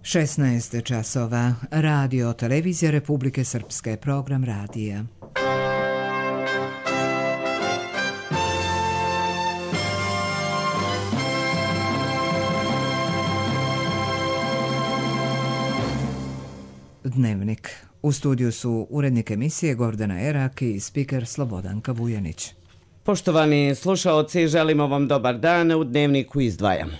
16 časova. Radio Televizija Republike Srpske. Program radija. Dnevnik. U studiju su urednik emisije Gordana Erak i spiker Slobodanka Vujanić. Poštovani slušaoci, želimo vam dobar dan. U Dnevniku izdvajamo.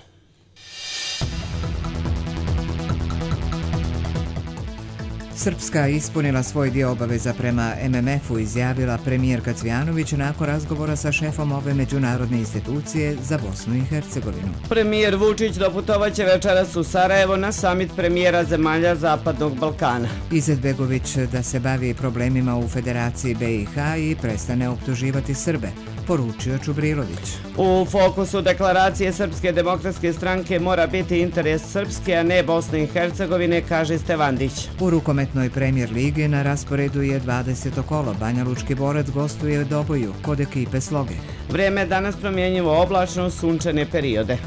Srpska ispunila svoj dio obaveza prema MMF-u, izjavila premijerka Cvijanović nakon razgovora sa šefom ove međunarodne institucije za Bosnu i Hercegovinu. Premijer Vučić doputovaće večeras u Sarajevo na samit premijera zemalja Zapadnog Balkana. Izetbegović da se bavi problemima u Federaciji BiH i prestane optuživati Srbe, poručio Čubrilović. U fokusu deklaracije Srpske demokratske stranke mora biti interes Srpske, a ne Bosne i Hercegovine, kaže Stevandić. U rukometnoj premijer ligi na rasporedu je 20. kolo. Banjalučki Borac gostuje u Doboju kod ekipe Sloge. Vrijeme danas promjenjivo oblačno, sunčane periode.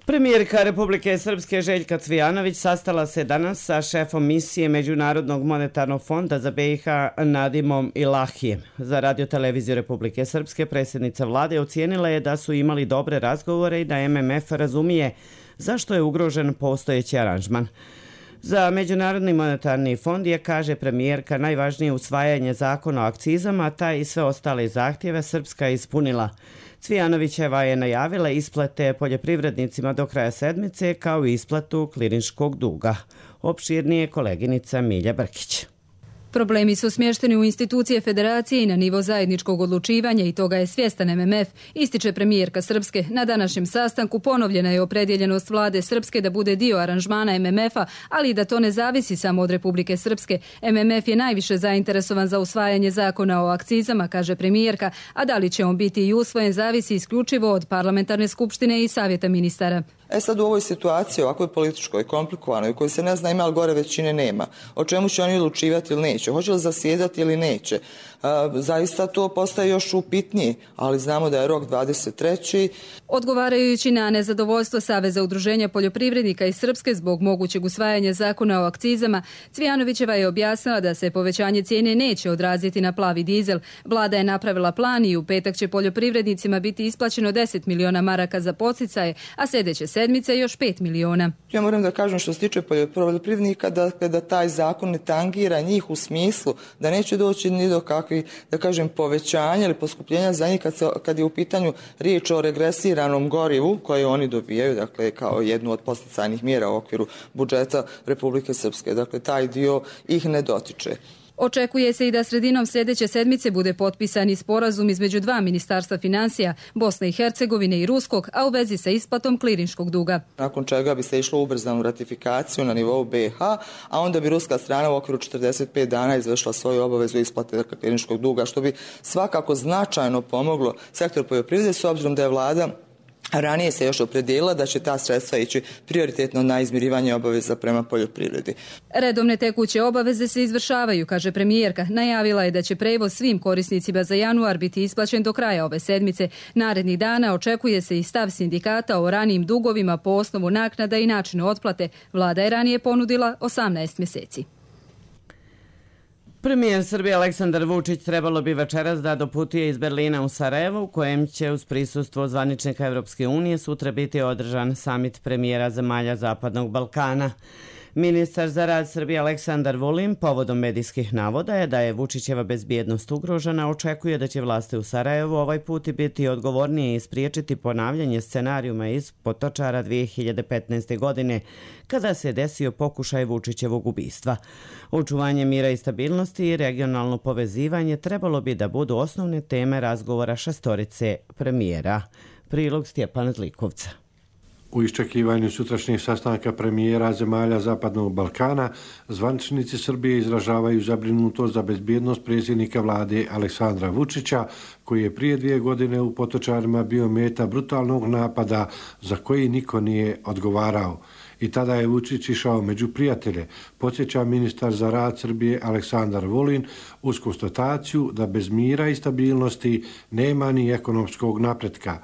Premijerka Republike Srpske Željka Cvijanović sastala se danas sa šefom misije Međunarodnog monetarnog fonda za BiH Nadimom Ilahijem. Za Radio Televiziju Republike Srpske predsjednica vlade ocijenila je da su imali dobre razgovore i da MMF razumije zašto je ugrožen postojeći aranžman. Za Međunarodni monetarni fond je, kaže premijerka, najvažnije usvajanje zakona o akcizama, taj i sve ostale zahtjeve Srpska ispunila. Cvijanovićeva je najavila isplate poljoprivrednicima do kraja sedmice kao i isplatu klirinškog duga. Opširnije koleginica Milja Brkić. Problemi su smješteni u institucije federacije i na nivo zajedničkog odlučivanja i toga je svjestan MMF, ističe premijerka Srpske. Na današnjem sastanku ponovljena je opredjeljenost vlade Srpske da bude dio aranžmana MMF-a, ali i da to ne zavisi samo od Republike Srpske. MMF je najviše zainteresovan za usvajanje zakona o akcizama, kaže premijerka, a da li će on biti i usvojen zavisi isključivo od parlamentarne skupštine i savjeta ministara. Sad u ovoj situaciji, ovakvoj političkoj, komplikovanoj, u kojoj se ne zna ima li gore većine nema, o čemu će oni odlučivati ili neće, hoće li zasjedati ili neće, zaista to postaje još upitnije, ali znamo da je rok 23. Odgovarajući na nezadovoljstvo Saveza udruženja poljoprivrednika iz Srpske zbog mogućeg usvajanja zakona o akcizama, Cvijanovićeva je objasnila da se povećanje cijene neće odraziti na plavi dizel. Vlada je napravila plan i u petak će poljoprivrednicima biti isplaćeno 10 miliona maraka za podsticaje, a sljedeće sedmice još 5 miliona. Ja moram da kažem što se tiče poljoprivrednika da taj zakon ne tangira njih u smislu da neće doći ni do kakvih, da kažem, povećanja ili poskupljenja za njih kad je u pitanju riječ o regresiranom gorivu koje oni dobijaju, dakle kao jednu od podsticajnih mjera u okviru budžeta Republike Srpske. Dakle, taj dio ih ne dotiče. Očekuje se i da sredinom sljedeće sedmice bude potpisani sporazum između dva ministarstva financija, Bosne i Hercegovine i Ruskog, a u vezi sa isplatom klirinškog duga. Nakon čega bi se išlo ubrzanu ratifikaciju na nivou BiH, a onda bi ruska strana u okviru 45 dana izvršila svoju obavezu isplate klirinškog duga, što bi svakako značajno pomoglo sektor poljoprivrede, s obzirom da je vlada ranije se još opredijelila da će ta sredstva ići prioritetno na izmirivanje obaveza prema poljoprivredi. Redovne tekuće obaveze se izvršavaju, kaže premijerka. Najavila je da će prevoz svim korisnicima za januar biti isplaćen do kraja ove sedmice. Narednih dana očekuje se i stav sindikata o ranijim dugovima po osnovu naknada i načinu otplate. Vlada je ranije ponudila 18 mjeseci. Premijer Srbije Aleksandar Vučić trebalo bi večeras da doputuje iz Berlina u Sarajevo, u kojem će uz prisustvo zvaničnika Evropske unije sutra biti održan samit premijera zemalja Zapadnog Balkana. Ministar za rad Srbije Aleksandar Vulin povodom medijskih navoda je da je Vučićeva bezbjednost ugrožena, očekuje da će vlasti u Sarajevu ovaj put biti odgovornije i spriječiti ponavljanje scenarijuma iz Potočara 2015. godine, kada se desio pokušaj Vučićevog ubistva. Očuvanje mira i stabilnosti i regionalno povezivanje trebalo bi da budu osnovne teme razgovora šestorice premijera. Prilog Stjepana Zlikovca. U iščekivanju sutrašnjeg sastanka premijera zemalja Zapadnog Balkana, zvaničnici Srbije izražavaju zabrinutost za bezbjednost predsjednika vlade Aleksandra Vučića, koji je prije 2 godine u Potočarima bio meta brutalnog napada za koji niko nije odgovarao. I tada je Vučić išao među prijatelje, podsjeća ministar za rad Srbije Aleksandar Vulin uz konstataciju da bez mira i stabilnosti nema ni ekonomskog napretka.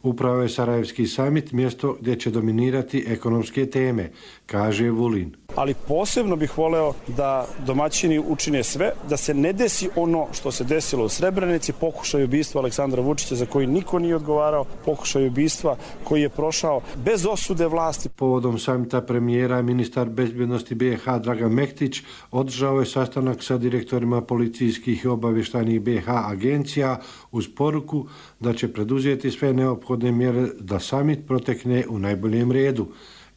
Upravo je Sarajevski samit mjesto gdje će dominirati ekonomske teme, kaže Vulin. Ali posebno bih voleo da domaćini učine sve, da se ne desi ono što se desilo u Srebrenici, pokušaj ubistva Aleksandra Vučića za koji niko nije odgovarao, pokušaj ubistva koji je prošao bez osude vlasti. Povodom samita premijera, ministar bezbjednosti BiH Dragan Mektić održao je sastanak sa direktorima policijskih i obavještajnih BiH agencija uz poruku da će preduzeti sve neophodne mjere da samit protekne u najboljem redu.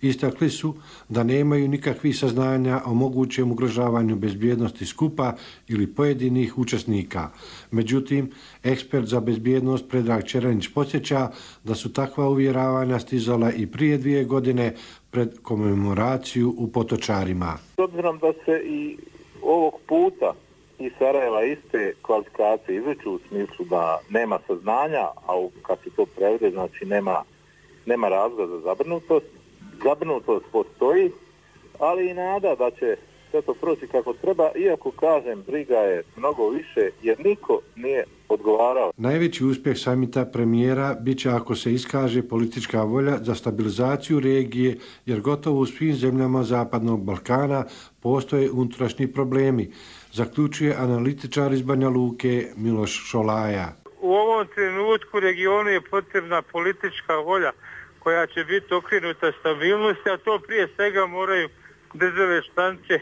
Istakli su da nemaju nikakvih saznanja o mogućem ugrožavanju bezbjednosti skupa ili pojedinih učesnika. Međutim, ekspert za bezbjednost Predrag Čeranić podsjeća da su takva uvjeravanja stizala i prije 2 godine pred komemoraciju u Potočarima. S obzirom da se i ovog puta iz Sarajeva iste kvalifikacije izveću u smislu da nema saznanja, a kad se to prevede, znači nema razloga za zabrinutost. Zabrinutost postoji, ali i nada da će sve to proći kako treba, iako kažem, briga je mnogo više jer niko nije odgovarao. Najveći uspjeh samita premijera bit će ako se iskaže politička volja za stabilizaciju regije, jer gotovo u svim zemljama Zapadnog Balkana postoje unutrašnji problemi, zaključuje analitičar iz Banja Luke Miloš Šolaja. U ovom trenutku regionu je potrebna politička volja koja će biti okrenuta stabilnosti, a to prije svega moraju države članice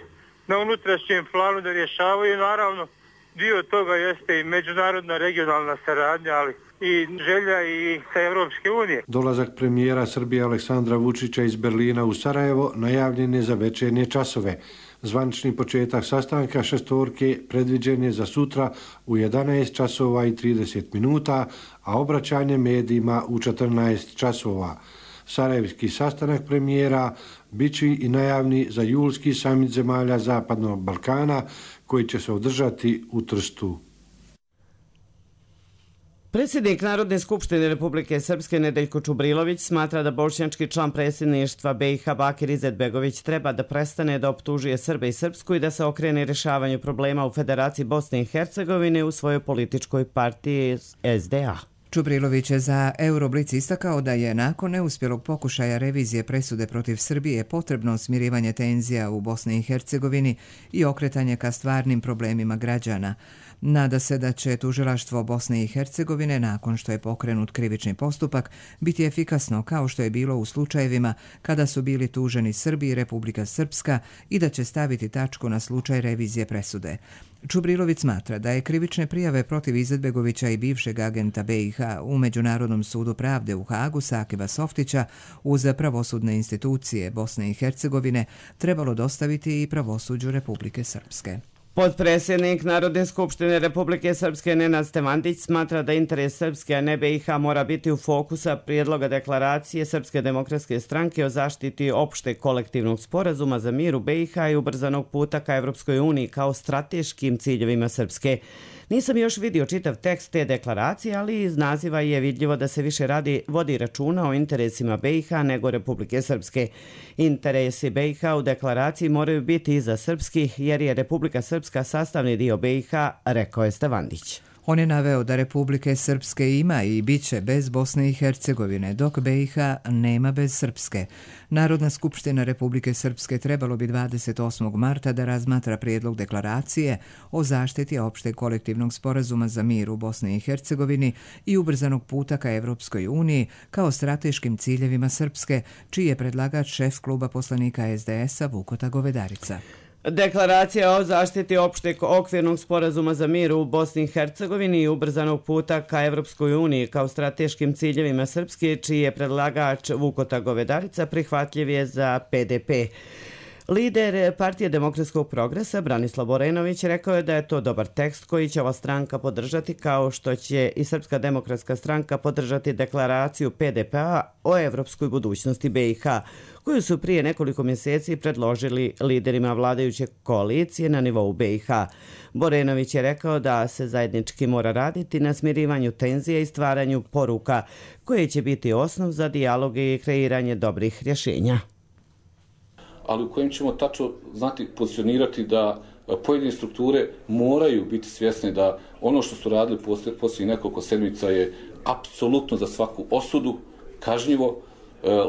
na unutrašnjem planu da rješavaju. Naravno, dio toga jeste i međunarodna regionalna saradnja, ali i želja i sa Europske unije. Dolazak premijera Srbije Aleksandra Vučića iz Berlina u Sarajevo najavljen je za večernje časove. Zvanični početak sastanka šestorke predviđen je za sutra u 11 časova i 30 minuta, a obraćanje medijima u 14 časova. Sarajevski sastanak premijera bit će i najavni za julski samit zemalja Zapadnog Balkana koji će se održati u Trstu. Predsjednik Narodne skupštine Republike Srpske Nedeljko Čubrilović smatra da bošnjački član predsjedništva BiH Bakir Izetbegović treba da prestane da optužuje Srbe i Srpsku i da se okrene rješavanju problema u Federaciji Bosne i Hercegovine u svojoj političkoj partiji SDA. Čubrilović je za Euroblic istakao da je nakon neuspjelog pokušaja revizije presude protiv Srbije potrebno smirivanje tenzija u Bosni i Hercegovini i okretanje ka stvarnim problemima građana. Nada se da će tužilaštvo Bosne i Hercegovine, nakon što je pokrenut krivični postupak, biti efikasno kao što je bilo u slučajevima kada su bili tuženi Srbi i Republika Srpska i da će staviti tačku na slučaj revizije presude. Čubrilović smatra da je krivične prijave protiv Izetbegovića i bivšeg agenta BiH u Međunarodnom sudu pravde u Hagu Sakeba Softića uz pravosudne institucije Bosne i Hercegovine trebalo dostaviti i pravosuđu Republike Srpske. Potpredsjednik Narodne skupštine Republike Srpske Nenad Stevandić smatra da interes Srpske, a ne BiH, mora biti u fokusa prijedloga deklaracije Srpske demokratske stranke o zaštiti opšteg kolektivnog sporazuma za mir u BiH i ubrzanog puta ka Evropskoj uniji kao strateškim ciljevima Srpske. Nisam još vidio čitav tekst te deklaracije, ali iz naziva je vidljivo da se više vodi računa o interesima BiH nego Republike Srpske. Interesi BiH u deklaraciji moraju biti iza srpskih, jer je Republika Srpska sastavni dio BiH, rekao je Stevandić. On je naveo da Republike Srpske ima i bit će bez Bosne i Hercegovine, dok BiH nema bez Srpske. Narodna skupština Republike Srpske trebalo bi 28. marta da razmatra prijedlog deklaracije o zaštiti opšteg kolektivnog sporazuma za mir u Bosni i Hercegovini i ubrzanog puta ka Evropskoj uniji kao strateškim ciljevima Srpske, čiji je predlagač šef kluba poslanika SDS-a Vukota Govedarica. Deklaracija o zaštiti opšteg okvirnog sporazuma za mir u Bosni i Hercegovini i ubrzanog puta ka Evropskoj uniji kao strateškim ciljevima Srpske, čiji je predlagač Vukota Govedarica, prihvatljiv je za PDP. Lider Partije demokratskog progresa Branislav Borenović rekao je da je to dobar tekst koji će ova stranka podržati, kao što će i Srpska demokratska stranka podržati deklaraciju PDP-a o evropskoj budućnosti BiH, koju su prije nekoliko mjeseci predložili liderima vladajuće koalicije na nivou BiH. Borenović je rekao da se zajednički mora raditi na smirivanju tenzija i stvaranju poruka, koje će biti osnov za dijalog i kreiranje dobrih rješenja. ali u kojem ćemo tačno znati pozicionirati da pojedine strukture moraju biti svjesne da ono što su radili poslije nekoliko sedmica je apsolutno za svaku osudu, kažnjivo,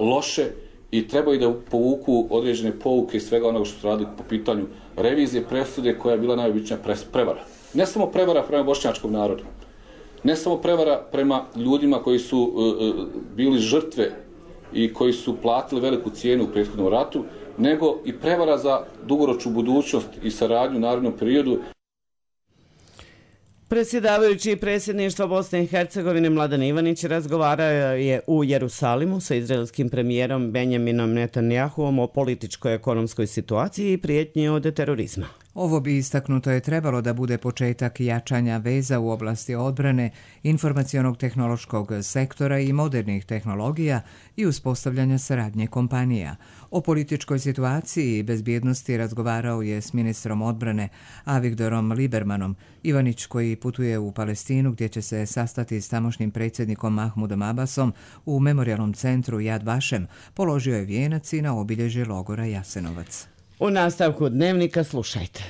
loše i trebaju da povuku određene pouke iz svega onoga što su radili po pitanju revizije presude koja je bila najobičnija prevara. Ne samo prevara prema bošnjačkom narodu, ne samo prevara prema ljudima koji su bili žrtve i koji su platili veliku cijenu u prethodnom ratu, nego i prevara za dugoročnu budućnost i saradnju u narednom periodu. Predsjedavajući predsjedništva Bosne i Hercegovine Mladen Ivanić razgovarao je u Jerusalimu sa izraelskim premijerom Benjaminom Netanjahuom o političkoj ekonomskoj situaciji i prijetnji od terorizma. Ovo bi istaknuto je trebalo da bude početak jačanja veza u oblasti odbrane, informacionog tehnološkog sektora i modernih tehnologija i uspostavljanja saradnje kompanija. O političkoj situaciji i bezbjednosti razgovarao je s ministrom odbrane Avigdorom Libermanom. Ivanić, koji putuje u Palestinu gdje će se sastati s tamošnjim predsjednikom Mahmudom Abbasom u memorijalnom centru Yad Vashem, položio je vijenac i na obilježje logora Jasenovac. U nastavku dnevnika slušajte.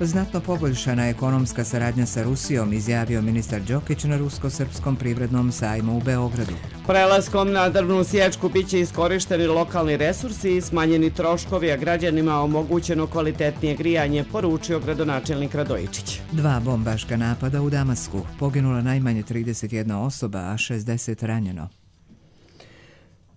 Znatno poboljšana ekonomska saradnja sa Rusijom, izjavio ministar Đokić na Rusko-srpskom privrednom sajmu u Beogradu. Prelaskom na drvnu sječku biće iskorišteni lokalni resursi i smanjeni troškovi, a građanima omogućeno kvalitetnije grijanje, poručio gradonačelnik Radojičić. 2 bombaška napada u Damasku. Poginula najmanje 31 osoba, a 60 ranjeno.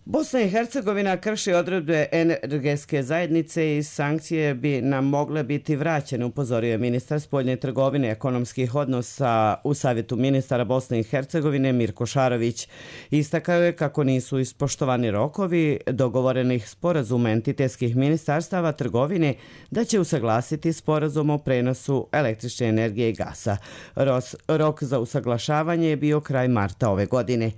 Bosna i Hercegovina krši odredbe energetske zajednice i sankcije bi nam mogle biti vraćene, upozorio je ministar spoljne trgovine ekonomskih odnosa u Savjetu ministara Bosne i Hercegovine Mirko Šarović. Istakao je kako nisu ispoštovani rokovi dogovorenih sporazuma entitetskih ministarstava trgovine da će usaglasiti sporazum o prenosu električne energije i gasa. Rok za usaglašavanje je bio kraj marta ove godine.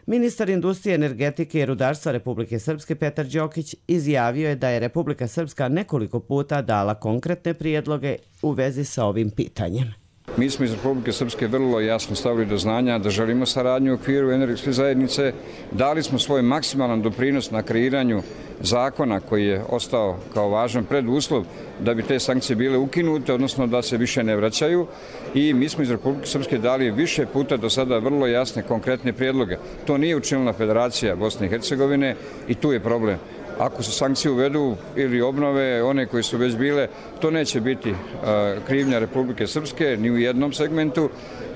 Ministar industrije, energetike i rudarstva Republike Srpske Petar Đokić izjavio je da je Republika Srpska nekoliko puta dala konkretne prijedloge u vezi sa ovim pitanjem. Mi smo iz Republike Srpske vrlo jasno stavili do znanja da želimo saradnju u okviru energetske zajednice. Dali smo svoj maksimalan doprinos na kreiranju zakona koji je ostao kao važan preduslov da bi te sankcije bile ukinute, odnosno da se više ne vraćaju. I mi smo iz Republike Srpske dali više puta do sada vrlo jasne, konkretne prijedloge. To nije učinila Federacija Bosne i Hercegovine i tu je problem. Ako se sankcije uvedu ili obnove one koje su već bile, to neće biti krivnja Republike Srpske ni u jednom segmentu,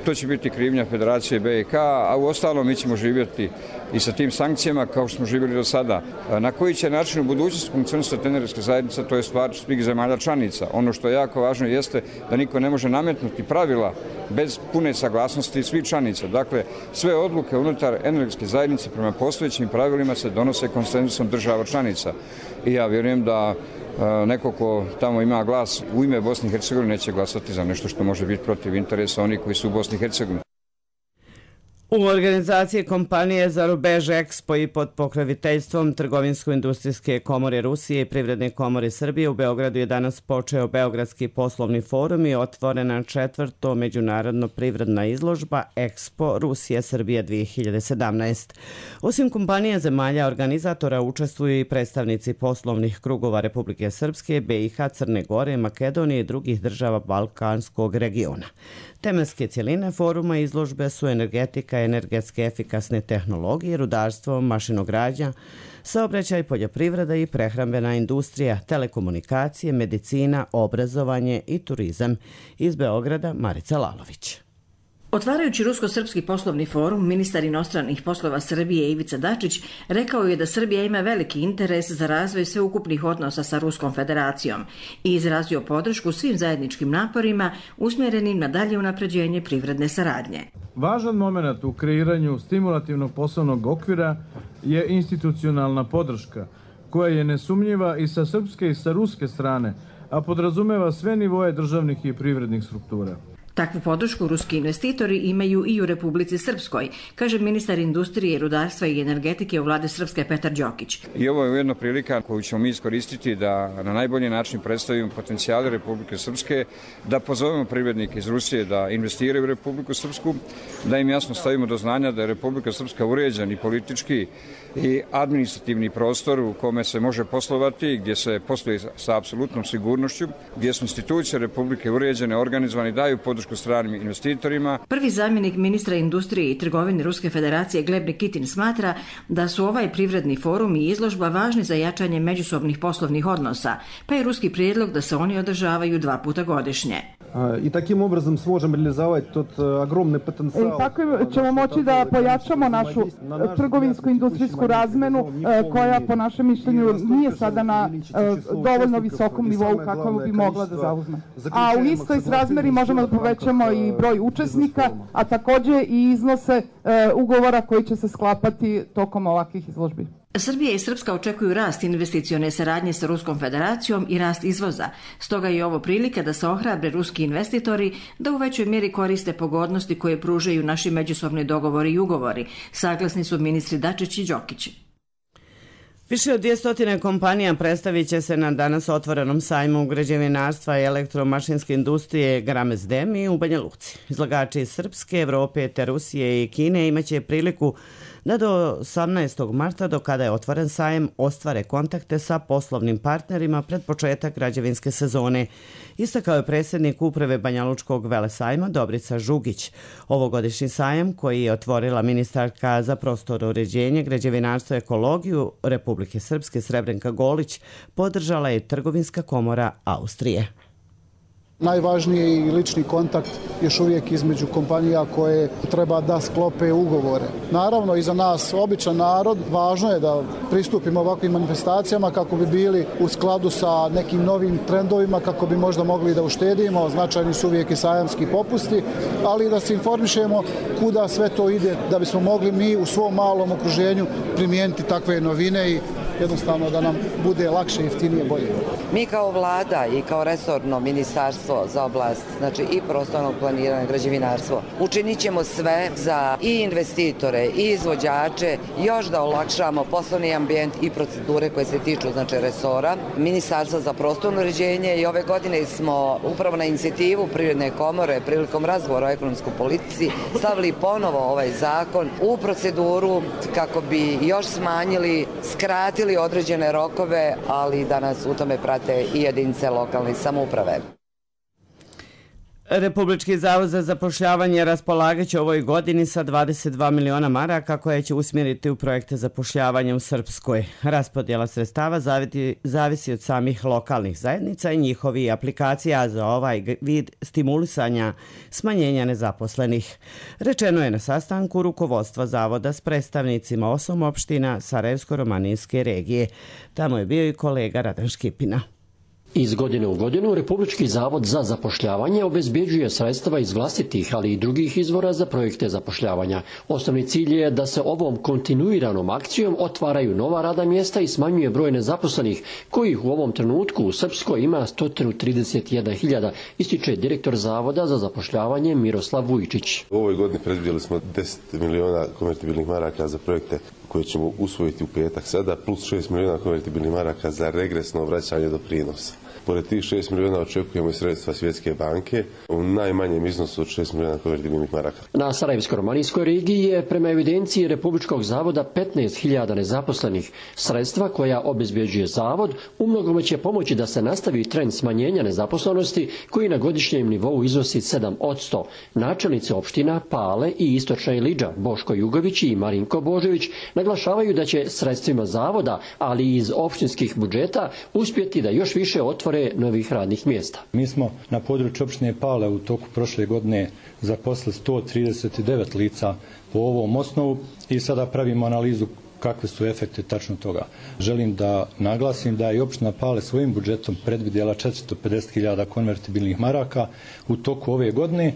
to će biti krivnja Federacije BiH, a u ostalom mi ćemo živjeti i sa tim sankcijama kao što smo živjeli do sada. Na koji će način u budućnosti funkcionisati energetska zajednica, to je stvar svih zemalja članica. Ono što je jako važno jeste da niko ne može nametnuti pravila bez pune saglasnosti svih članica. Dakle, sve odluke unutar energetske zajednice prema postojećim pravilima se donose konsenzusom država članica. I ja vjerujem da neko ko tamo ima glas u ime Bosne i Hercegovine neće glasati za nešto što može biti protiv interesa onih koji su u Bosni i Hercegovini. U organizaciji kompanije za rubež Expo i pod pokroviteljstvom Trgovinsko-industrijske komore Rusije i Privredne komore Srbije u Beogradu je danas počeo Beogradski poslovni forum i otvorena 4. međunarodno privredna izložba Expo Rusija Srbija 2017. Osim kompanija zemalja organizatora učestvuju i predstavnici poslovnih krugova Republike Srpske, BiH, Crne Gore, Makedonije i drugih država Balkanskog regiona. Tematske cjeline foruma izložbe su energetika, energetske efikasne tehnologije, rudarstvo, mašinogradnja, saobraćaj, poljoprivreda i prehrambena industrija, telekomunikacije, medicina, obrazovanje i turizam. Iz Beograda Marica Lalović. Otvarajući Rusko-srpski poslovni forum, ministar inostranih poslova Srbije Ivica Dačić rekao je da Srbija ima veliki interes za razvoj sveukupnih odnosa sa Ruskom federacijom i izrazio podršku svim zajedničkim naporima usmjerenim na dalje unapređenje privredne saradnje. Važan moment u kreiranju stimulativnog poslovnog okvira je institucionalna podrška, koja je nesumnjiva i sa srpske i sa ruske strane, a podrazumeva sve nivoje državnih i privrednih struktura. Takvu podršku ruski investitori imaju i u Republici Srpskoj, kaže ministar industrije, rudarstva i energetike u vlade Srpske Petar Đokić. I ovo je ujedno prilika koju ćemo mi iskoristiti da na najbolji način predstavimo potencijale Republike Srpske, da pozovemo privrednike iz Rusije da investiraju u Republiku Srpsku, da im jasno stavimo do znanja da je Republika Srpska uređen i politički i administrativni prostor u kome se može poslovati, gdje se posluje sa apsolutnom sigurnošću, gdje su institucije Republike uređene, organizovane i daju podršku stranim investitorima. Prvi zamjenik ministra industrije i trgovine Ruske federacije Gleb Nikitin smatra da su ovaj privredni forum i izložba važni za jačanje međusobnih poslovnih odnosa, pa je ruski prijedlog da se oni održavaju 2 puta godišnje. I takim obrazom možemo realizovati tot ogromni potencijal. Tako ćemo moći da pojačamo našu trgovinsko-industrijsku razmenu koja po našem mišljenju nije sada na dovoljno visokom nivou kako bi mogla da zauzme. A u istoj srazmeri možemo da povećamo i broj učesnika, a također i iznose ugovora koji će se sklapati tokom ovakvih izložbi. Srbija i Srpska očekuju rast investicione saradnje sa Ruskom federacijom i rast izvoza. Stoga je ovo prilika da se ohrabre ruski investitori da u većoj mjeri koriste pogodnosti koje pružaju naši međusobni dogovori i ugovori. Saglasni su ministri Dačić i Đokić. Više od 200 kompanija predstavit će se na danas otvorenom sajmu građevinarstva i elektromašinske industrije Gramez Demi u Banja Luci. Izlagači iz Srpske, Evrope, te Rusije i Kine imaće priliku da do 18. marta, do kada je otvoren sajem, ostvare kontakte sa poslovnim partnerima pred početak građevinske sezone. Istakao je predsjednik uprave Banjalučkog velesajma Dobrica Žugić. Ovogodišnji sajem, koji je otvorila ministarka za prostorno uređenje, građevinarstvo i ekologiju Republike Srpske Srebrenka Golić, podržala je Trgovinska komora Austrije. Najvažniji je i lični kontakt još uvijek između kompanija koje treba da sklope ugovore. Naravno, i za nas, običan narod, važno je da pristupimo ovakvim manifestacijama kako bi bili u skladu sa nekim novim trendovima, kako bi možda mogli da uštedimo. Značajni su uvijek i sajamski popusti, ali da se informišemo kuda sve to ide, da bismo mogli mi u svom malom okruženju primijeniti takve novine i jednostavno da nam bude lakše, jeftinije, bolje. Mi kao vlada i kao resorno ministarstvo za oblast, znači i prostornog planiranja, građevinarstvo, učinit ćemo sve za i investitore i izvođače još da olakšamo poslovni ambijent i procedure koje se tiču znači resora Ministarstva za prostorno uređenje i ove godine smo upravo na inicijativu Privredne komore prilikom razgovora o ekonomskoj politici stavili ponovo ovaj zakon u proceduru kako bi još smanjili, skratili određene rokove, ali da nas u tome prate i jedinice lokalne samouprave. Republički zavod za zapošljavanje raspolagaće ovoj godini sa 22 miliona maraka koje će usmjeriti u projekte zapošljavanja u Srpskoj. Raspodjela sredstava zavisi od samih lokalnih zajednica i njihovi aplikacija za ovaj vid stimulisanja smanjenja nezaposlenih. Rečeno je na sastanku rukovodstva zavoda s predstavnicima 8 opština Sarajevsko-romanijske regije. Tamo je bio i kolega Radan Škipina. Iz godine u godinu Republički zavod za zapošljavanje obezbjeđuje sredstva iz vlastitih, ali i drugih izvora za projekte zapošljavanja. Osnovni cilj je da se ovom kontinuiranom akcijom otvaraju nova radna mjesta i smanjuje broj nezaposlenih, kojih u ovom trenutku u Srpskoj ima 131.000, ističe direktor Zavoda za zapošljavanje Miroslav Vujčić. U ovoj godini predvidjeli smo 10 miliona konvertibilnih maraka za projekte koje ćemo usvojiti u petak sada, plus 6 miliona konvertibilnih maraka za regresno vraćanje doprinosa. Pored tih 6 miliona očekujemo i sredstva Svjetske banke u najmanjem iznosu od 6 miliona konvertibilnih maraka. Na Sarajevsko-romanijskoj regiji je prema evidenciji Republičkog zavoda 15.000 nezaposlenih. Sredstva koja obezbjeđuje zavod umnogome će pomoći da se nastavi trend smanjenja nezaposlenosti koji na godišnjem nivou iznosi 7%. Načelnice opština Pale i Istočna Ilidža Boško Jugović i Marinko Božević naglašavaju da će sredstvima zavoda, ali i iz opštinskih budžeta, uspjeti da još više otvore novih radnih mjesta. Mi smo na području opštine Pale u toku prošle godine zaposlili 139 lica po ovom osnovu i sada pravimo analizu kakve su efekte tačno toga. Želim da naglasim da je opština Pale svojim budžetom predvidjela 450.000 konvertibilnih maraka u toku ove godine.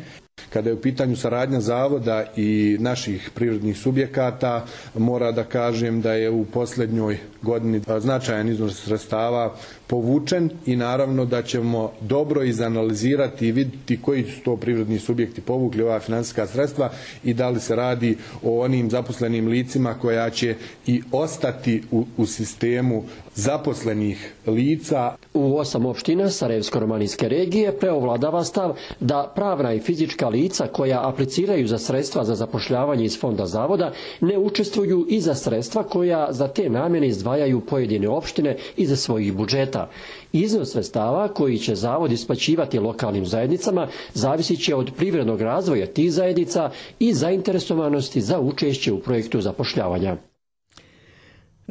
Kada je u pitanju saradnja zavoda i naših privrednih subjekata, mora da kažem da je u posljednjoj godini značajan iznos sredstava povučen i naravno da ćemo dobro izanalizirati i vidjeti koji su to privredni subjekti povukli ova financijska sredstva i da li se radi o onim zaposlenim licima koja će i ostati u sistemu zaposlenih lica. U 8 opština Sarajevsko-romanijske regije preovladava stav da pravna i fizička lica koja apliciraju za sredstva za zapošljavanje iz fonda zavoda ne učestvuju i za sredstva koja za te namjene izdvajaju pojedine opštine iz svojih budžeta. Iznos sredstava koji će zavod isplaćivati lokalnim zajednicama zavisit će od privrednog razvoja tih zajednica i zainteresovanosti za učešće u projektu zapošljavanja.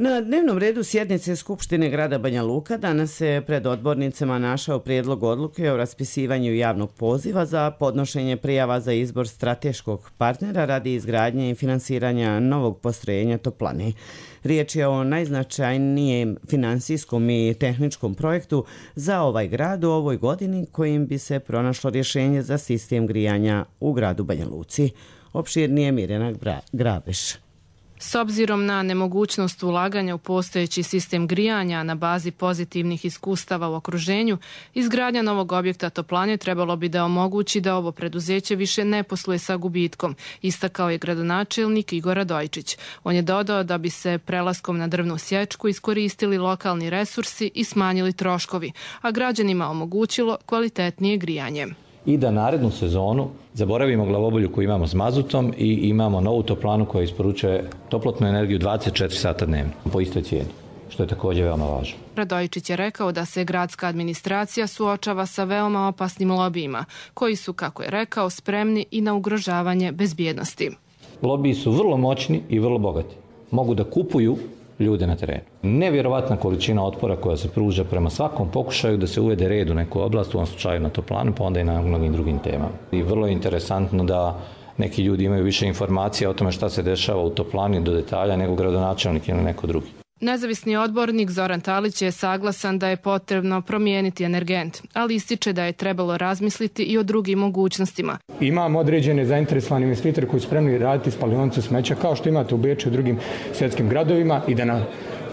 Na dnevnom redu sjednice Skupštine grada Banja Luka danas se pred odbornicama našao prijedlog odluke o raspisivanju javnog poziva za podnošenje prijava za izbor strateškog partnera radi izgradnje i finansiranja novog postrojenja toplane. Riječ je o najznačajnijem finansijskom i tehničkom projektu za ovaj grad u ovoj godini kojim bi se pronašlo rješenje za sistem grijanja u gradu Banja Luci. Opširnije Mirjana Grabeš. S obzirom na nemogućnost ulaganja u postojeći sistem grijanja na bazi pozitivnih iskustava u okruženju, izgradnja novog objekta toplane trebalo bi da omogući da ovo preduzeće više ne posluje sa gubitkom, istakao je gradonačelnik Igor Radojčić. On je dodao da bi se prelaskom na drvnu sječku iskoristili lokalni resursi i smanjili troškovi, a građanima omogućilo kvalitetnije grijanje. I da narednu sezonu zaboravimo glavobolju koju imamo s mazutom i imamo novu toplanu koja isporučuje toplotnu energiju 24 sata dnevno po istoj cijeni, što je također veoma važno. Radojčić je rekao da se gradska administracija suočava sa veoma opasnim lobijima, koji su, kako je rekao, spremni i na ugrožavanje bezbjednosti. Lobiji su vrlo moćni i vrlo bogati. Mogu da kupuju ljude na terenu. Nevjerovatna količina otpora koja se pruža prema svakom pokušaju da se uvede red u neku oblast, u ovom slučaju na toplanu, pa onda i na mnogim drugim temama. I vrlo je interesantno da neki ljudi imaju više informacija o tome šta se dešava u toplani do detalja nego gradonačelnik ili neko drugi. Nezavisni odbornik Zoran Talić je saglasan da je potrebno promijeniti energent, ali ističe da je trebalo razmisliti i o drugim mogućnostima. Imamo određene zainteresovane investitore koji su spremni raditi spalionicu smeća kao što imate u Beču i drugim svjetskim gradovima i da na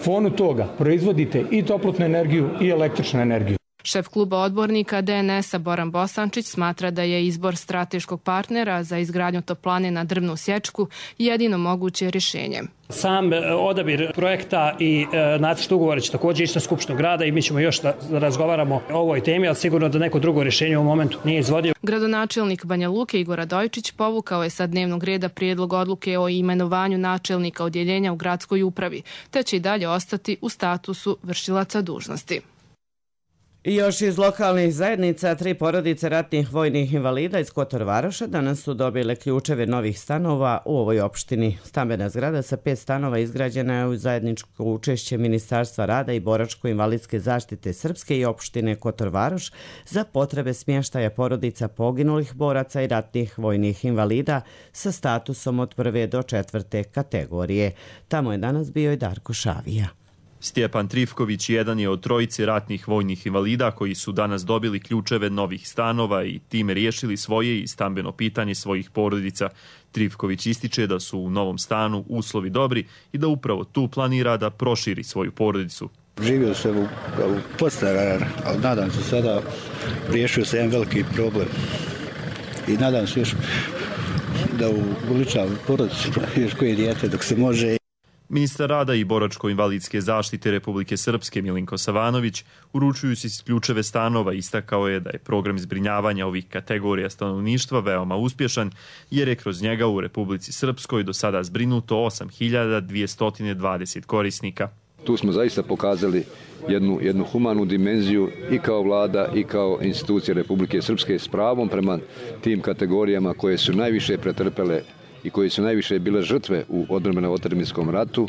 fonu toga proizvodite i toplotnu energiju i električnu energiju. Šef kluba odbornika DNS-a Boran Bosančić smatra da je izbor strateškog partnera za izgradnju toplane na drvnu sječku jedino moguće rješenje. Sam odabir projekta i nacrt ugovora će također ići na Skupštinu grada i mi ćemo još da razgovaramo o ovoj temi, ali sigurno da neko drugo rješenje u ovom momentu nije izvodljivo. Gradonačelnik Banja Luke Igor Radojčić povukao je sa dnevnog reda prijedlog odluke o imenovanju načelnika odjeljenja u gradskoj upravi, te će i dalje ostati u statusu vršilaca dužnosti. I još iz lokalnih zajednica 3 porodice ratnih vojnih invalida iz Kotor Varoša danas su dobile ključeve novih stanova u ovoj opštini. Stambena zgrada sa 5 stanova izgrađena je u zajedničko učešće Ministarstva rada i boračko-invalidske zaštite Srpske i opštine Kotor Varoš za potrebe smještaja porodica poginulih boraca i ratnih vojnih invalida sa statusom od 1. do 4. kategorije. Tamo je danas bio i Darko Šavija. Stjepan Trifković jedan je od trojice ratnih vojnih invalida koji su danas dobili ključeve novih stanova i time riješili svoje i stambeno pitanje svojih porodica. Trifković ističe da su u novom stanu uslovi dobri i da upravo tu planira da proširi svoju porodicu. Živio sam u podstanar, ali nadam se sada riješio se jedan veliki problem i nadam se još da uličavam porodicu još koje dijete dok se može. Ministar rada i boračko-invalidske zaštite Republike Srpske Milinko Savanović, uručujući ključeve stanova, istakao je da je program zbrinjavanja ovih kategorija stanovništva veoma uspješan, jer je kroz njega u Republici Srpskoj do sada zbrinuto 8.220 korisnika. Tu smo zaista pokazali jednu humanu dimenziju i kao vlada i kao institucije Republike Srpske s pravom prema tim kategorijama koje su najviše pretrpele i koji su najviše bile žrtve u odbrambeno-otadžbinskom ratu.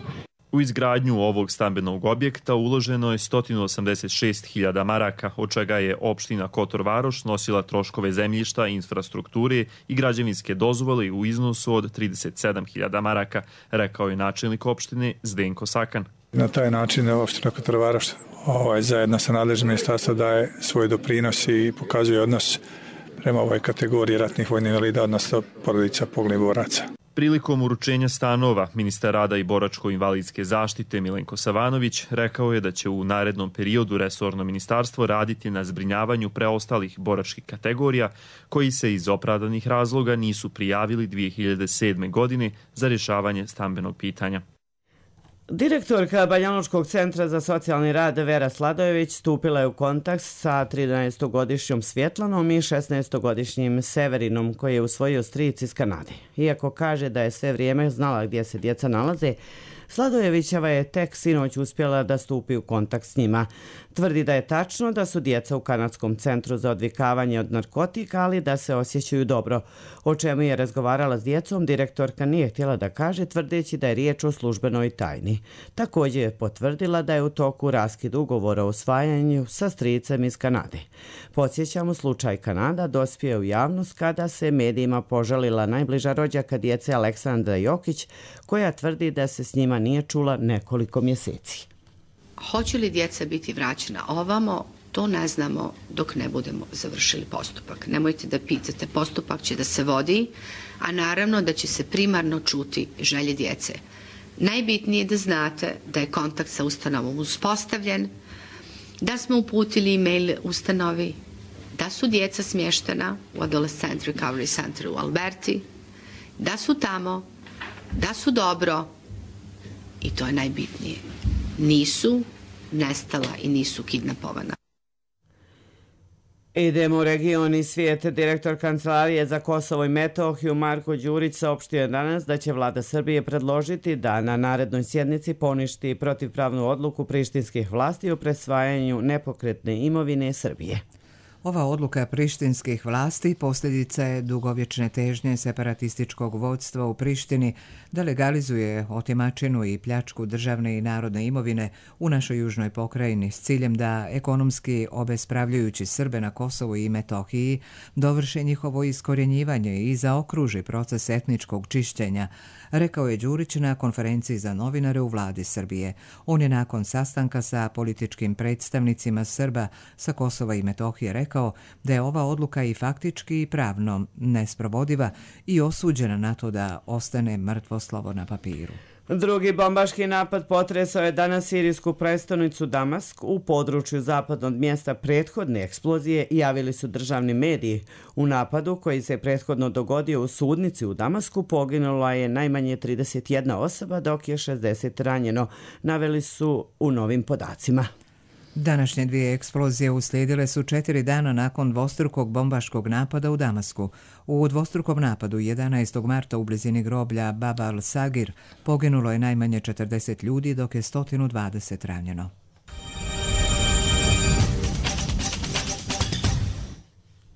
U izgradnju ovog stambenog objekta uloženo je 186.000 maraka, od čega je opština Kotor Varoš nosila troškove zemljišta, infrastrukture i građevinske dozvole u iznosu od 37.000 maraka, rekao je načelnik opštine Zdenko Sakan. Na taj način opština Kotor Varoš zajedno sa nadležnim ministarstvom daje svoj doprinos i pokazuje odnos prema ovoj kategoriji ratnih vojnih invalida, odnosno porodica poginulih boraca. Prilikom uručenja stanova, ministar rada i boračko-invalidske zaštite Milenko Savanović rekao je da će u narednom periodu resorno ministarstvo raditi na zbrinjavanju preostalih boračkih kategorija koji se iz opravdanih razloga nisu prijavili 2007. godine za rješavanje stambenog pitanja. Direktorka Banjalučkog centra za socijalni rad Vera Sladojević stupila je u kontakt sa 13-godišnjom Svjetlanom i 16-godišnjim Severinom koji je usvojio stric iz Kanade. Iako kaže da je sve vrijeme znala gdje se djeca nalaze, Sladojevićeva je tek sinoć uspjela da stupi u kontakt s njima. Tvrdi da je tačno da su djeca u Kanadskom centru za odvikavanje od narkotika, ali da se osjećaju dobro. O čemu je razgovarala s djecom, direktorka nije htjela da kaže, tvrdeći da je riječ o službenoj tajni. Također je potvrdila da je u toku raskid ugovora o usvajanju sa stricem iz Kanade. Podsjećamo, slučaj Kanada dospio u javnost kada se medijima požalila najbliža rođaka djece Aleksandra Jokić, koja tvrdi da se s njima nije čula nekoliko mjeseci. Hoće li djeca biti vraćena ovamo, to ne znamo dok ne budemo završili postupak. Nemojte da pitate, postupak će da se vodi, a naravno da će se primarno čuti želje djece. Najbitnije je da znate da je kontakt sa ustanovom uspostavljen, da smo uputili e-mail ustanovi, da su djeca smještena u Adolescent Recovery Center u Alberti, da su tamo, da su dobro i to je najbitnije. Nisu nestala i nisu kidnapovana. Idemo u region i svijet. Direktor Kancelarije za Kosovo i Metohiju Marko Đurić saopštio je danas da će vlada Srbije predložiti da na narednoj sjednici poništi protivpravnu odluku prištinskih vlasti o presvajanju nepokretne imovine Srbije. Ova odluka prištinskih vlasti posljedica je dugovječne težnje separatističkog vodstva u Prištini da legalizuje otimačinu i pljačku državne i narodne imovine u našoj južnoj pokrajini s ciljem da ekonomski obespravljujući Srbe na Kosovu i Metohiji dovrše njihovo iskorjenjivanje i zaokruži proces etničkog čišćenja, rekao je Đurić na konferenciji za novinare u vladi Srbije. On je nakon sastanka sa političkim predstavnicima Srba sa Kosova i Metohije rekao da je ova odluka i faktički i pravno nesprovodiva i osuđena na to da ostane mrtvo slovo na papiru. Drugi bombaški napad potresao je danas sirijsku prestonicu Damask. U području zapadno od mjesta prethodne eksplozije javili su državni mediji. U napadu koji se prethodno dogodio u sudnici u Damasku poginula je najmanje 31 osoba, dok je 60 ranjeno, naveli su u novim podacima. Današnje dvije eksplozije uslijedile su 4 dana nakon dvostrukog bombaškog napada u Damasku. U dvostrukom napadu 11. marta u blizini groblja Bab al-Sagir poginulo je najmanje 40 ljudi, dok je 120 ranjeno.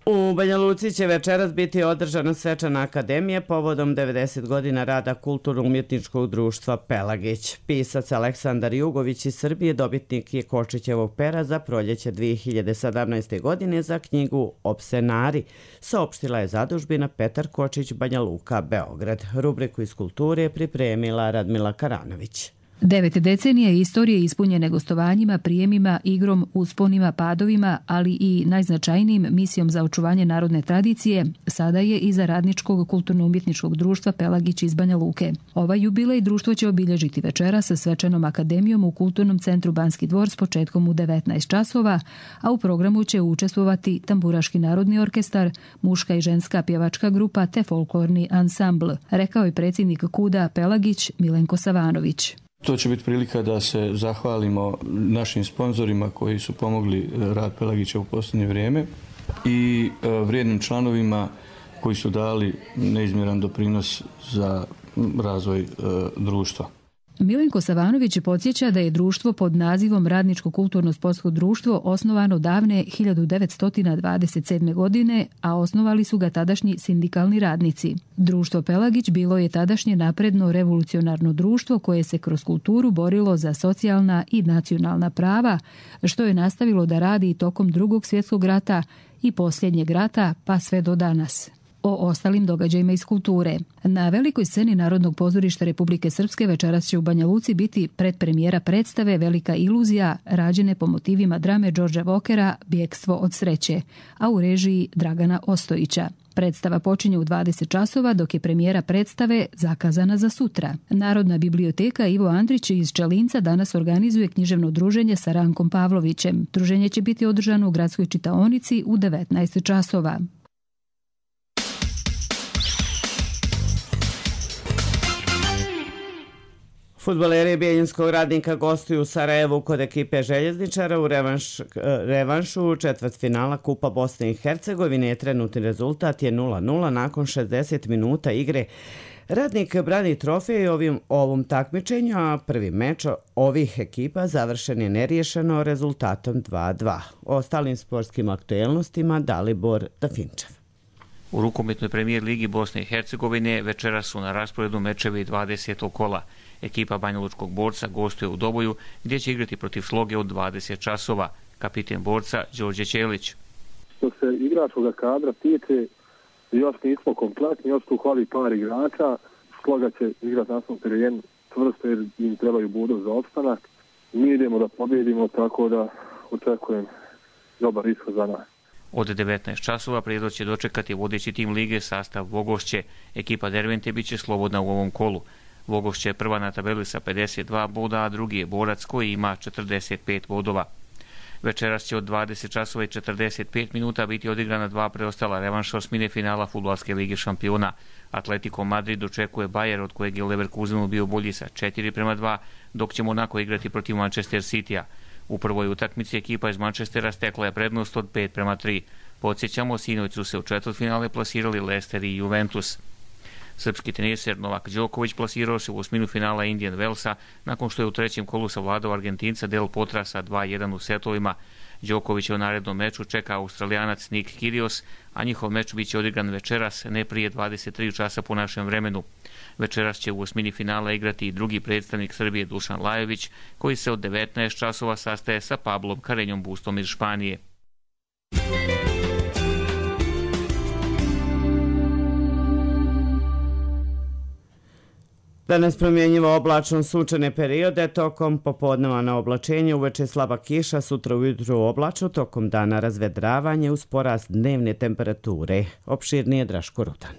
U Banja Luci će večeras biti održana svečana akademija povodom 90 godina rada kulturno-umjetničkog društva Pelagić. Pisac Aleksandar Jugović iz Srbije dobitnik je Kočićevog pera za proljeće 2017. godine za knjigu Opsenari, saopštila je zadužbina Petar Kočić Banja Luka, Beograd. Rubriku iz kulture pripremila Radmila Karanović. 9 decenija istorije ispunjene gostovanjima, prijemima, igrom, usponima, padovima, ali i najznačajnijim misijom za očuvanje narodne tradicije, sada je iza radničkog kulturno-umjetničkog društva Pelagić iz Banja Luke. Ovaj jubilej društvo će obilježiti večera sa svečanom akademijom u Kulturnom centru Banski dvor s početkom u 19 časova, a u programu će učestvovati Tamburaški narodni orkestar, muška i ženska pjevačka grupa te folklorni ansambl, rekao je predsjednik KUD-a Pelagić Milenko Savanović. To će biti prilika da se zahvalimo našim sponzorima koji su pomogli rad Pelagića u posljednje vrijeme i vrijednim članovima koji su dali neizmjeran doprinos za razvoj društva. Milenko Savanović podsjeća da je društvo pod nazivom Radničko kulturno-sportsko društvo osnovano davne 1927. godine, a osnovali su ga tadašnji sindikalni radnici. Društvo Pelagić bilo je tadašnje napredno revolucionarno društvo koje se kroz kulturu borilo za socijalna i nacionalna prava, što je nastavilo da radi tokom Drugog svjetskog rata i posljednjeg rata pa sve do danas. O ostalim događajima iz kulture. Na velikoj sceni Narodnog pozorišta Republike Srpske večeras će u Banja Luci biti predpremijera predstave Velika iluzija, rađene po motivima drame Đorđa Vokera Bjekstvo od sreće, a u režiji Dragana Ostojića. Predstava počinje u 20 časova, dok je premijera predstave zakazana za sutra. Narodna biblioteka Ivo Andrić iz Čelinca danas organizuje književno druženje sa Rankom Pavlovićem. Druženje će biti održano u gradskoj čitaonici u 19 časova. Fudbaleri Bijeljinskog Radnika gostuju u Sarajevu kod ekipe željezničara u revanšu četvrtfinala Kupa Bosne i Hercegovine. Trenutni rezultat je 0-0 nakon 60 minuta igre. Radnik brani trofej ovom takmičenju, a prvi meč ovih ekipa završen je neriješeno rezultatom 2-2. O ostalim sportskim aktuelnostima Dalibor Dafinčev. U rukometnoj premijer ligi Bosne i Hercegovine večeras su na rasporedu mečevi 20. kola. Ekipa Banjalučkog Borca gostuje u Doboju, gdje će igrati protiv Sloge od 20 časova. Kapiten Borca Đorđe Ćelić. Što se igračkog kadra tiče, još nismo kompletni, još tu hvali par igrača. Sloga će igrati na svom terenu tvrsto jer im trebaju bodov za opstanak. Mi idemo da pobjedimo, tako da očekujem dobar ishod za nas. Od 19 časova Prijedor će dočekati vodeći tim lige sastav Vogošće. Ekipa Dervente bit će slobodna u ovom kolu. Vogošće je prva na tabeli sa 52 boda, a drugi je Borac koji ima 45 bodova. Večeras će od 20 časova i 45 minuta biti odigrana dva preostala revanša osmine finala Fudbalske lige šampiona. Atletico Madrid očekuje Bayer, od kojeg je Leverkusenu bio bolji sa 4-2, dok će Monaco igrati protiv Manchester Citya. U prvoj utakmici ekipa iz Manchestera stekla je prednost od 5-3. Podsjećamo, sinoć su se u četvrtfinale plasirali Leicester i Juventus. Srpski teniser Novak Đoković plasirao se u osminu finala Indian Wellsa nakon što je u trećem kolu savladao Argentinca Del Potra sa 2-1 u setovima. Đoković je u narednom meču čeka Australijanac Nick Kyrgios, a njihov meč biće odigran večeras, ne prije 23 časa po našem vremenu. Večeras će u osmini finala igrati i drugi predstavnik Srbije Dušan Lajović, koji se od 19 časova sastaje sa Pablom Carreñom Bustom iz Španije. Danas promjenjivo oblačno sunčane periode, tokom popodneva na oblačenje, uveče slaba kiša, sutra ujutru oblačno, tokom dana razvedravanje uz porast dnevne temperature. Opširnije Draško Rudan.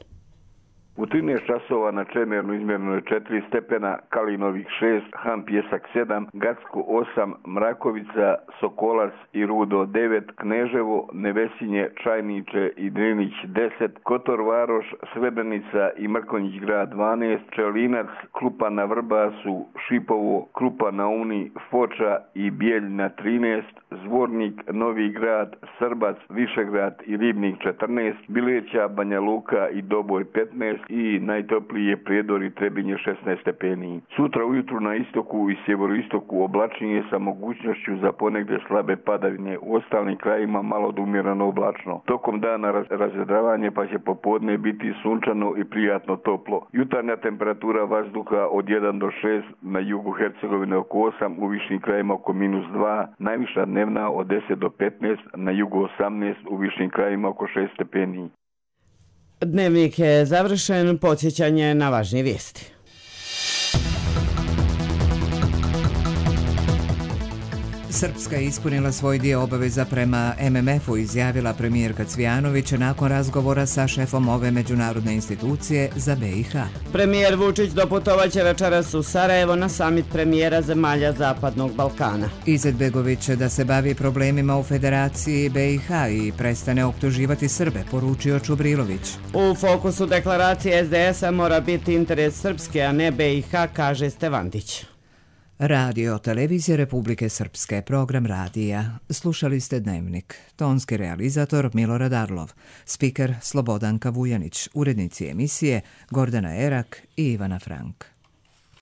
U 13 časova na Čemernu izmjereno je 4 stepena, Kalinovih 6, Han Pjesak 7, Gacko 8, Mrakovica, Sokolac i Rudo 9, Kneževo, Nevesinje, Čajniče i Drinić 10, Kotor Varoš, Srebrenica i Mrkonjić grad 12, Čelinac, Krupa na Vrbasu, Šipovo, Krupa na Uni, Foča i Bijeljina 13, Zvornik, Novi grad, Srbac, Višegrad i Ribnik 14, Bileća, Banja Luka i Doboj 15 i najtopliji je Prijedor i Trebinje 16 stepeni. Sutra ujutru na istoku i sjeveroistoku oblačnije sa mogućnošću za ponegdje slabe padavine, u ostalim krajima malo do umjereno oblačno. Tokom dana razvedravanje, pa će popodne biti sunčano i prijatno toplo. Jutarnja temperatura vazduha od 1 do 6, na jugu Hercegovine oko 8, u višim krajima oko -2, najviša dnevna od 10 do 15, na jugu 18, u višim krajima oko 6 stepeni. Dnevnik je završen, podsjećanje na važnije vijesti. Srpska je ispunila svoj dio obaveza prema MMF-u, izjavila premijerka Cvijanović nakon razgovora sa šefom ove međunarodne institucije za BiH. Premijer Vučić doputovaće večeras u Sarajevo na samit premijera zemalja Zapadnog Balkana. Izetbegović će da se bavi problemima u Federaciji BiH i prestane optuživati Srbe, poručio Čubrilović. U fokusu deklaracije SDS-a mora biti interes Srpske, a ne BiH, kaže Stevandić. Radio Televizije Republike Srpske, program radija. Slušali ste Dnevnik. Tonski realizator Milorad Arlov, spiker Slobodanka Vujanić, urednici emisije Gordana Erak i Ivana Frank.